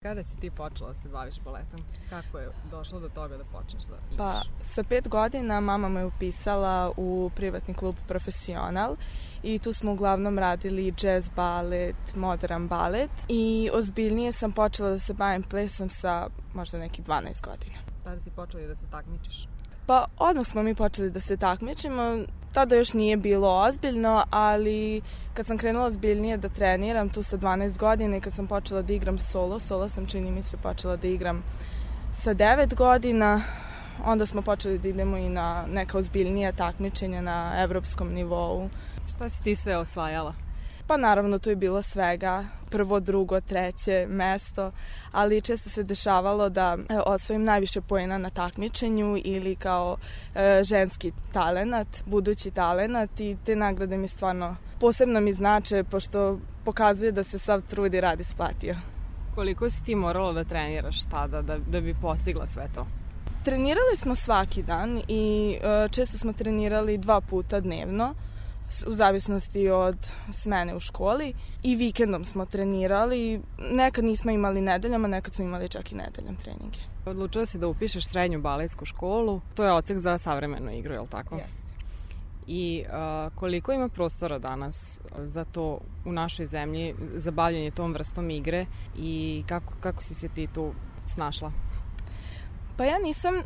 Kada si ti počela da se baviš baletom? Kako je došlo do toga da počneš da igraš? Pa, sa 5 godina mama me upisala u privatni klub Profesional i tu smo uglavnom radili jazz balet, modern balet i ozbiljnije sam počela da se bavim plesom sa možda nekih 12 godina. Tada si počela da se takmičiš? Pa, odmah smo mi počeli da se takmičimo. Tada još nije bilo ozbiljno, ali kad sam krenula ozbiljnije da treniram tu sa 12 godina i kad sam počela da igram solo sam čini mi se počela da igram sa 9 godina, onda smo počeli da idemo i na neka ozbiljnija takmičenja na evropskom nivou. Šta si ti sve osvajala? Pa naravno tu je bilo svega, prvo, drugo, treće mesto, ali često se dešavalo da osvojim najviše poena na takmičenju ili kao ženski talenat, budući talenat i te nagrade mi stvarno posebno mi znače pošto pokazuje da se sav trud i rad isplatio. Koliko si ti morala da treniraš tada da bi postigla sve to? Trenirali smo svaki dan i često smo trenirali 2 puta dnevno, u zavisnosti od smene u školi i vikendom smo trenirali. Nekad nismo imali nedeljama, nekad smo imali čak i nedeljom treninge. Odlučila si da upišeš srednju baletsku školu, to je odsek za savremenu igru, je li tako? Jeste. I koliko ima prostora danas za to u našoj zemlji, za bavljanje tom vrstom igre i kako si se ti tu snašla? Pa ja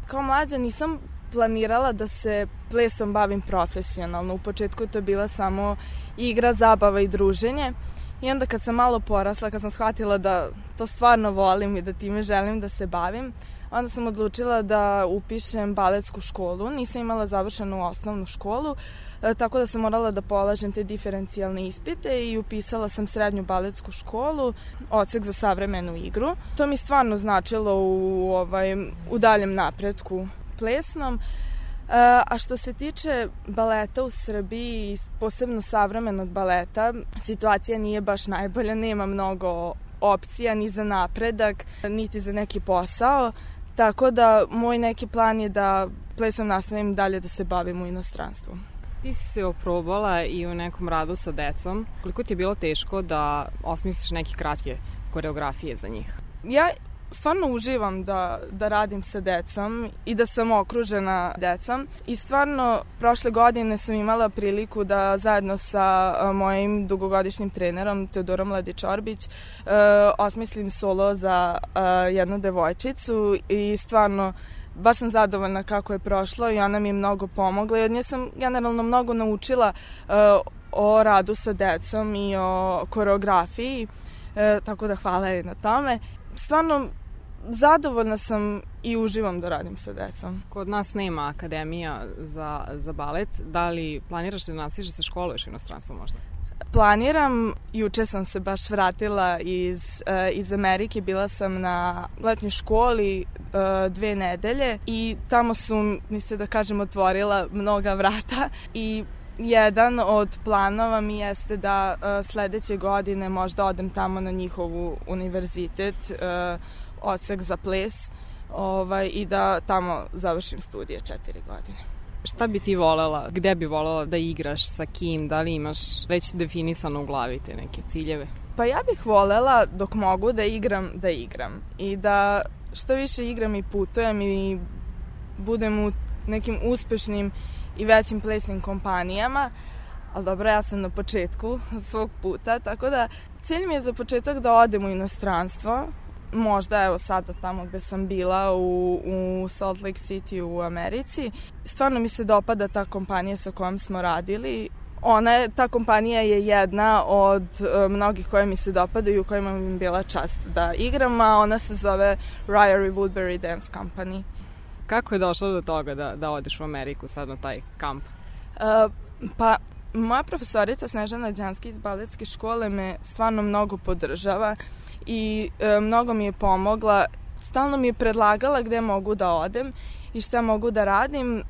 kao mlađa nisam planirala da se plesom bavim profesionalno. U početku to je bila samo igra, zabava i druženje. I onda kad sam malo porasla, kad sam shvatila da to stvarno volim i da time želim da se bavim, onda sam odlučila da upišem baletsku školu. Nisam imala završenu osnovnu školu, tako da sam morala da polažem te diferencijalne ispite i upisala sam srednju baletsku školu, odsek za savremenu igru. To mi stvarno značilo u daljem napretku plesnom. A što se tiče baleta u Srbiji, posebno savremenog baleta, situacija nije baš najbolja, nema mnogo opcija ni za napredak, niti za neki posao, tako da moj neki plan je da plesom nastavim dalje da se bavim u inostranstvu. Ti si se oprobala i u nekom radu sa decom. Koliko ti je bilo teško da osmisliš neke kratke koreografije za njih? Ja stvarno uživam da radim sa decom i da sam okružena decom i stvarno prošle godine sam imala priliku da zajedno sa mojim dugogodišnjim trenerom Teodorom Ladičorbić osmislim solo za jednu devojčicu i stvarno baš sam zadovoljna kako je prošlo i ona mi je mnogo pomogla i od nje sam generalno mnogo naučila o radu sa decom i o koreografiji, tako da hvala joj na tome. Stvarno zadovoljna sam i uživam da radim sa decom. Kod nas nema akademija za balet. Da li planiraš da nastaviš da se školuješ u inostranstvu možda? Planiram. Juče sam se baš vratila iz Amerike. Bila sam na letnjoj školi 2 nedelje i tamo su mi se, da kažem, otvorila mnoga vrata i jedan od planova mi jeste da sledeće godine možda odem tamo na njihovu univerzitet, odsek za ples i da tamo završim studije 4 godine. Šta bi ti volela, gde bi volela da igraš, sa kim, da li imaš već definisano u glavi te neke ciljeve? Pa ja bih volela dok mogu da igram i da što više igram i putujem i budem u nekim uspešnim i većim plesnim kompanijama, ali dobro, ja sam na početku svog puta, tako da cilj mi je za početak da odem u inostranstvo, možda evo sada tamo gde sam bila u Salt Lake City u Americi. Stvarno mi se dopada ta kompanija sa kojom smo radili. Ta kompanija je jedna od mnogih koje mi se dopadaju, u kojima mi je bila čast da igram, a ona se zove Ryrie Woodbury Dance Company. Kako je došlo do toga da odeš u Ameriku sad na taj kamp? Pa, moja profesorica Snežana Đanski iz baletske škole me stvarno mnogo podržava i mnogo mi je pomogla. Stalno mi je predlagala gde mogu da odem i šta mogu da radim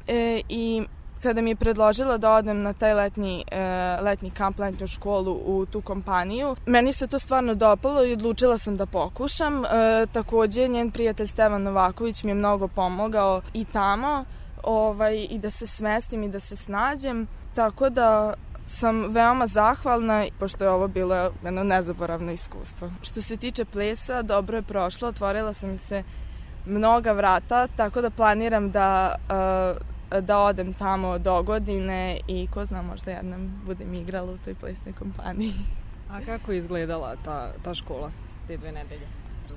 i kada mi je predložila da odem na taj letnji kamp, letnju školu u tu kompaniju, meni se to stvarno dopalo i odlučila sam da pokušam. Takođe, njen prijatelj Stevan Novaković mi je mnogo pomogao i tamo i da se smestim i da se snađem. Tako da sam veoma zahvalna, pošto je ovo bilo jedno nezaboravno iskustvo. Što se tiče plesa, dobro je prošlo, otvorila sam mi se mnoga vrata, tako da planiram da odem tamo do godine i ko zna, možda jednom budem igrala u toj plesnoj kompaniji. A kako je izgledala ta škola te 2 nedelje?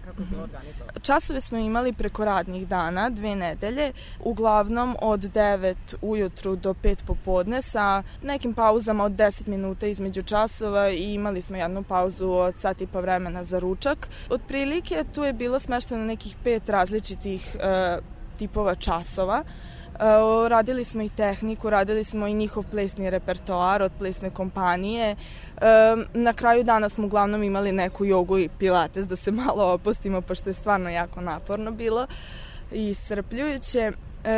Kako je bilo organizovano? Časove smo imali preko radnih dana, 2 nedelje, uglavnom od 9 ujutru do 5 popodne sa nekim pauzama od 10 minuta između časova i imali smo jednu pauzu od sat i po vremena za ručak. Otprilike tu je bilo smešteno nekih 5 različitih tipova časova. Radili smo i tehniku, radili smo i njihov plesni repertoar od plesne kompanije. Na kraju dana smo uglavnom imali neku jogu i pilates da se malo opustimo, pošto je stvarno jako naporno bilo i iscrpljujuće.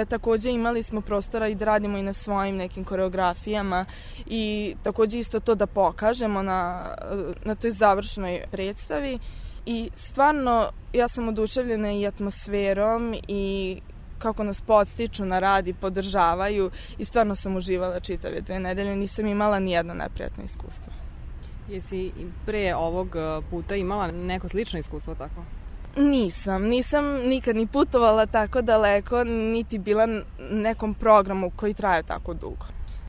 Takođe imali smo prostora i da radimo i na svojim nekim koreografijama i takođe isto to da pokažemo na toj završnoj predstavi. I stvarno ja sam oduševljena i atmosferom i kako nas podstiču na rad i podržavaju i stvarno sam uživala čitave 2 nedelje, nisam imala ni jedno neprijatno iskustvo. Jesi pre ovog puta imala neko slično iskustvo tako? Nisam nikad ni putovala tako daleko, niti bila nekom programu koji traje tako dugo.